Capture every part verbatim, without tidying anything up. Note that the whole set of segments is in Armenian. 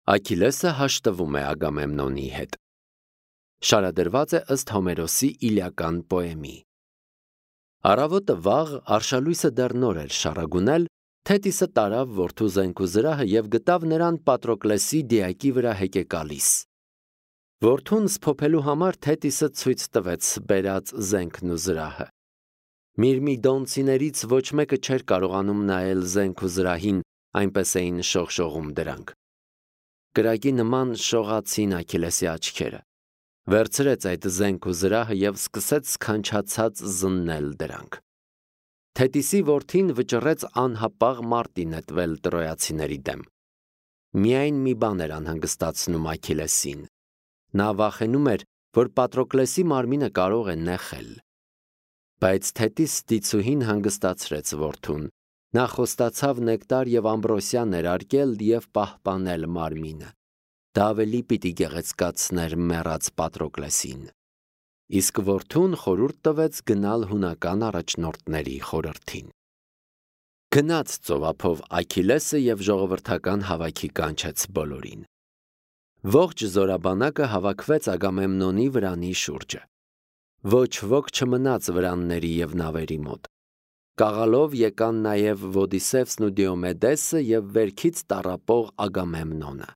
Աքիլեսը հաշտվում է Ագամեմնոնի հետ։ Շարադրված է ըստ Հոմերոսի Իլիական պոեմի։ Առավոտը վաղ արշալույսը դեռ նոր էր շառագունել, Թետիսը տարավ որդու զենք ու զրահը և գտավ նրան Պատրոկլեսի դիակի վրա հեկեկալիս։ Որդուն սփոփելու համար Թետիսը ցույց տվեց բերած զենքն ու զրահը։ Միրմիդոնցիներից ոչ մեկը չէր կարողանում նայել զենք ու զրահին, այնպես էին շողշողում դրանք։ Կրակի նման շողացին Աքիլեսի աչքերը։ Վերցրեց այդ զենք ու զրահը և սկսեց սքանչացած զննել դրանք։ Թետիսի որդին վճռեց անհապաղ մարտի նետվել տրոյացիների դեմ։ Միայն մի բան էր անհանգստացնում Աքիլեսին։ Նա վախենում էր, որ Պատրոկլեսի մարմինը կարող է նեխել։ Բայց Թետիս դիցուհին հանգստացրեց որդուն։ Նա խոստացավ նեկտար և ամբրոսիա ներարկել և պահպանել մարմինը։ Դա ավելի պիտի գեղեցկացներ մեռած Պատրոկլեսին։ Իսկ որդուն խորհուրդ տվեց գնալ հունական առաջնորդների խորհրդին։ Գնաց ծովափով Աքիլեսը և ժողովրդական հավաքի կանչեց բոլորին։ Ողջ զորաբանակը հավաքվեց Ագամեմնոնի վրանի շուրջը։ Ոչ ոք չմնաց վրանների և նավերի մոտ։ Կաղալով եկան նաև Ոդիսևսն ու Դիոմեդեսը և վերքից տառապող Ագամեմնոնը։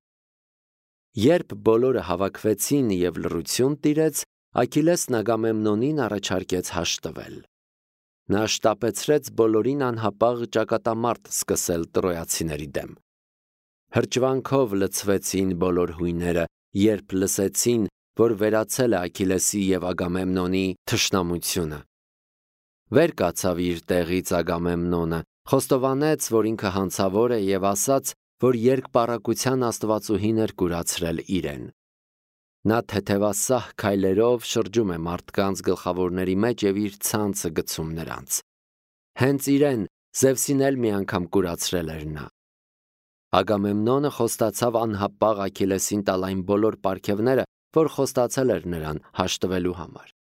Երբ բոլորը հավաքվեցին և լռություն տիրեց, Աքիլեսն Ագամեմնոնին առաջարկեց հաշտվել։ Նա շտապեցրեց բոլորին անհապաղ ճակատամարտ սկսել տրոյացիների դեմ։ Հրճվանքով լցվեցին բոլոր հույները, երբ լսեցին, որ վերացել է Աքիլեսի և Ագամեմնոնի թշնամությունը։ Վեր կացավ իր տեղից Ագամեմնոնը, խոստովանեց, որ ինքը հանցավոր է և ասաց, որ երկպառակտության աստվածուհին էր կուրացրել իրեն։ Նա թեթևասահ քայլերով շրջում է մարդկանց գլխավորների մեջ և իր ցանցը գցում նրանց։ Հենց իրեն Զևսին էլ մի անգամ կուրացրել էր նա։ Ագամեմնոնը խոստացավ անհապաղ Աքիլեսին տալ այն բոլոր պարգևները, որ խոստացել էր նրան հաշտվելու համար։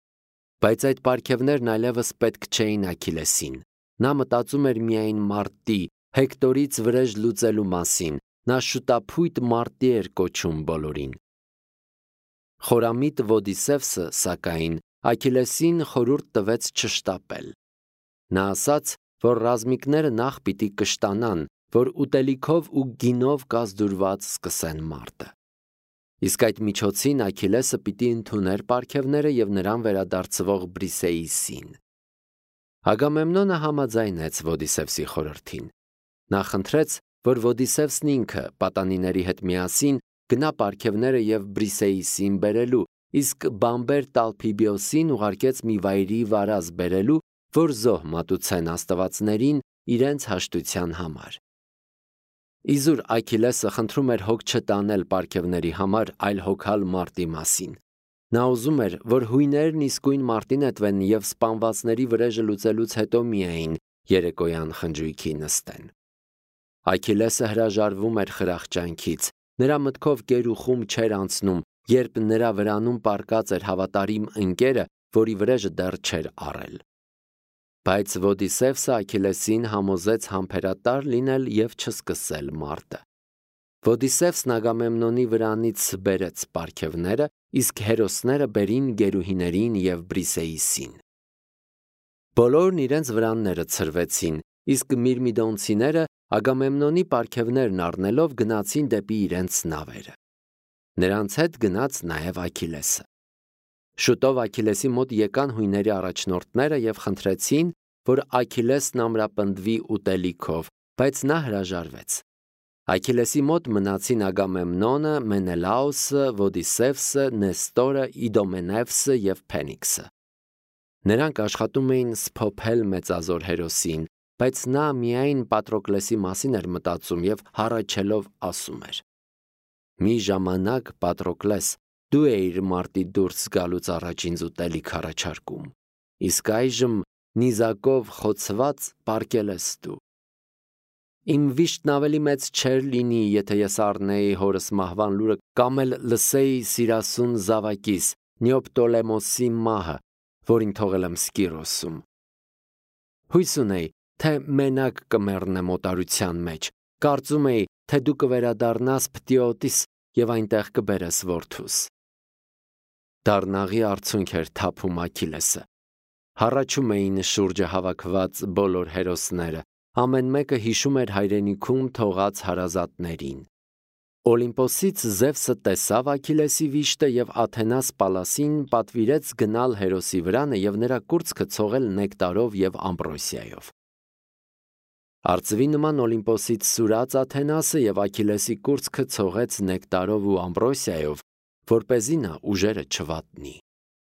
Բայց այդ պարգևներն այլևս պետք չէին Աքիլեսին։ Նա մտածում էր միայն մարտի, Հեկտորից վրեժ լուծելու մասին։ Նա շուտափույթ մարտի էր կոչում բոլորին։ Խորամիտ Ոդիսևսը, սակայն, Աքիլեսին խորհուրդ տվեց չշտապել։ Նա ասաց, որ ռազմիկները նախ պիտի կշտանան, որ ուտելիքով ու գինով կազդուրված սկսեն մարտը։ Իսկ այդ միջոցին Աքիլեսը պիտի ընդուներ պարգևները և նրան վերադարձվող Բրիսեիսին։ Ագամեմնոնը համաձայնեց Ոդիսևսի խորհրդին։ Նա խնդրեց, որ Ոդիսևսն ինքը պատանիների հետ միասին գնա պարգևները և Բրիսեիսին բերելու, իսկ բամբեր Տալփիբիոսին ուղարկեց մի վայրի վարազ բերելու, որ զոհ մատուցեն աստվածներին իրենց հաշտության համար։ Իզուր Աքիլեսը խնդրում էր հոգ չտանել պարգևների համար, այլ հոգալ մարտի մասին։ Նա ուզում էր, որ հույներն իսկույն մարտի նետվեն և սպանվածների վրեժը լուծելուց հետո միայն երեկոյան խնջույքի նստեն։ Աքիլեսը հրաժարվում էր խրախճանքից։ Նրա մտքով գերուխում չէր անցնում, երբ նրա վրանում պառկած էր հավատարիմ ընկերը, որի վրեժը դեռ չէր առել։ Բայց Ոդիսևսը Աքիլեսին համոզեց համբերատար լինել և չսկսել մարտը։ Ոդիսևսն Ագամեմնոնի վրանից բերեց պարգևները, իսկ հերոսները բերին գերուհիներին և Բրիսեիսին։ Բոլորն իրենց վրանները ցրվեցին, իսկ միրմիդոնցիները Ագամեմնոնի պարգևներն առնելով գնացին դեպի իրենց նավերը։ Նրանց հետ գնաց նաև Աքիլեսը։ Շուտով Աքիլեսի մոտ եկան հույների առաջնորդները և խնդրեցին, որ Աքիլեսն ամրապնդվի ուտելիքով, բայց նա հրաժարվեց։ Աքիլեսի մոտ մնացին Ագամեմնոնը, Մենելաոսը, Ոդիսևսը, Նեստորը, Իդոմենևսը և Փենիքսը։ Նրանք աշխատում էին սփոփել մեծազոր հերոսին, բայց նա միայն Պատրոկլեսի մասին էր մտածում և հառաչելով ասում էր. «Մի ժամանակ, Պատրոկլես, դու էիր մարտի դուրս գալուց առաջ ինձ ուտելիք առաջարկում, իսկ այժմ նիզակով խոցված պառկել ես դու։ Իմ վիշտն ավելի մեծ չէր լինի, եթե ես առնեի հորս մահվան լուրը կամ էլ լսեի սիրասուն զավակիս Նեոպտոլեմոսի մահը, որին թողել եմ Սկիրոսում։ Հույս ունեի, թե մենակ կմեռնեմ օտարության մեջ, կարծում էի, թե դու կվերադառնաս Փտիոտիս և այնտեղ կբերես որդուս։ Դառնաղի արցունք էր թափում Աքիլեսը։ Հառաչում էին շուրջը հավաքված բոլոր հերոսները, ամեն մեկը հիշում էր հայրենիքում թողած հարազատներին։ Օլիմպոսից Զևսը տեսավ Աքիլեսի վիշտը և Աթենաս Պալասին պատվիրեց գնալ հերոսի վրանը և նրա կուրծքը ցողել նեկտարով և ամբրոսիայով։ Արծվի նման Օլիմպոսից սուրաց Աթենասը և Աքիլեսի կուրծքը ցողեց նեկտարով ու ամբրոսիայով, որպեսզի նա ուժերը չվատնի։